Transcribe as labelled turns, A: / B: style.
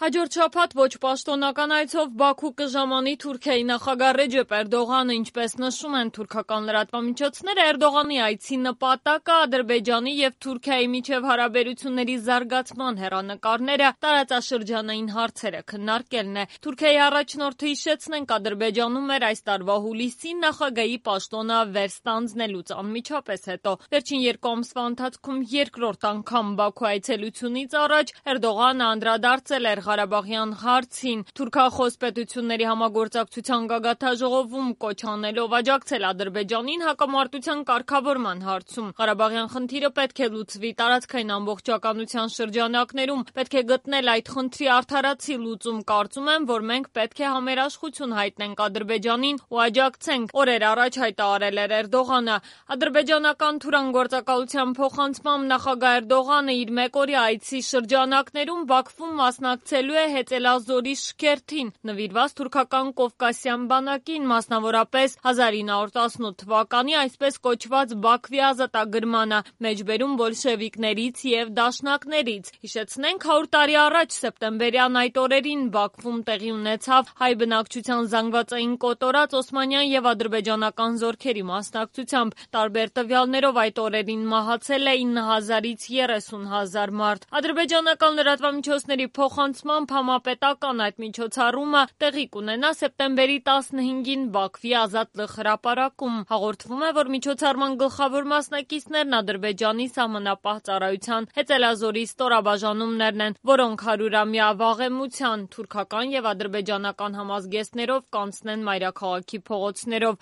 A: Հաջորդ շաբաթ ոչ պաշտոնական այցով Բաքու կժամանի Թուրքիայի նախագահ Ռեջեփ Էրդողանը, ինչպես նշում են թուրքական լրատվամիջոցները, Էրդողանի այցի նպատակը Ադրբեջանի եւ Թուրքիայի միջև հարաբերությունների զարգացման հեռանկարները, տարածաշրջանային հարցերը քննարկելն է։ Թուրքիայի առաջնորդը, հիշեցնենք, Ադրբեջանում էր այս տարվա հուլիսին նախագահի պաշտոնը վերստանձնելուց անմիջապես հետո։ Վերջին 2 ամսվա ընթացքում երկրորդ անգամ Բաքու այցելությունից առաջ Էրդողանը անդրադարձել էր Ղարաբաղյան հարցին, թուրքախոս պետությունների համագործակցության գագաթնաժողովում կոչ անելով աջակցել Ադրբեջանին հակամարտության կարգավորման հարցում։ Ղարաբաղյան խնդիրը պետք է լուծվի տարածքային ամբողջականության շրջանակներում, պետք է գտնել այդ խնդրի արդարացի լուծում։ Կարծում եմ, որ մենք պետք է համերաշխություն հայտնենք Ադրբեջանին ու աջակցենք, օրեր առաջ հայտարարել էր Էրդողանը։ Ադրբեջանական Թուրան գործակալության փոխանցմամբ նախագահ Էրդողանը իր մեկօրյա այցի շրջանակներում Բաքվում մասնակցելու է Հեծելազորի շքերթին, նվիրված թուրքական Կովկասյան բանակին, մասնավորապես 1918 թվականի այսպես կոչված Բաքվի ազատագրմանը, մեջբերում բոլշևիկներից եւ դաշնակներից։ Հիշեցնենք, 100 տարի առաջ սեպտեմբերյան այդ օրերին Բաքվում տեղի ունեցավ հայ բնակչության զանգվածային կոտորած օսմանյան եւ ադրբեջանական զորքերի մասնակցությամբ։ Տարբեր տվյալներով այդ օրերին մահացել է 9000-ից 30000 մարդ։ Ադրբեջանական լրատվամիջոցների փոխանցմամբ համապետական այդ միջոցառումը տեղի կունենա սեպտեմբերի 15-ին Բաքվի Ազատ հրապարակում։ Հաղորդվում է, որ միջոցառման գլխավոր մասնակիցներն Ադրբեջանի սահմանապահ ծառայության Հեծելազորի ստորաբաժանումներն են, որոնք 100-ամյա վաղեմության թուրքական եւ ադրբեջանական համազգեստներով կանցնեն մայրաքաղաքի փողոցներով։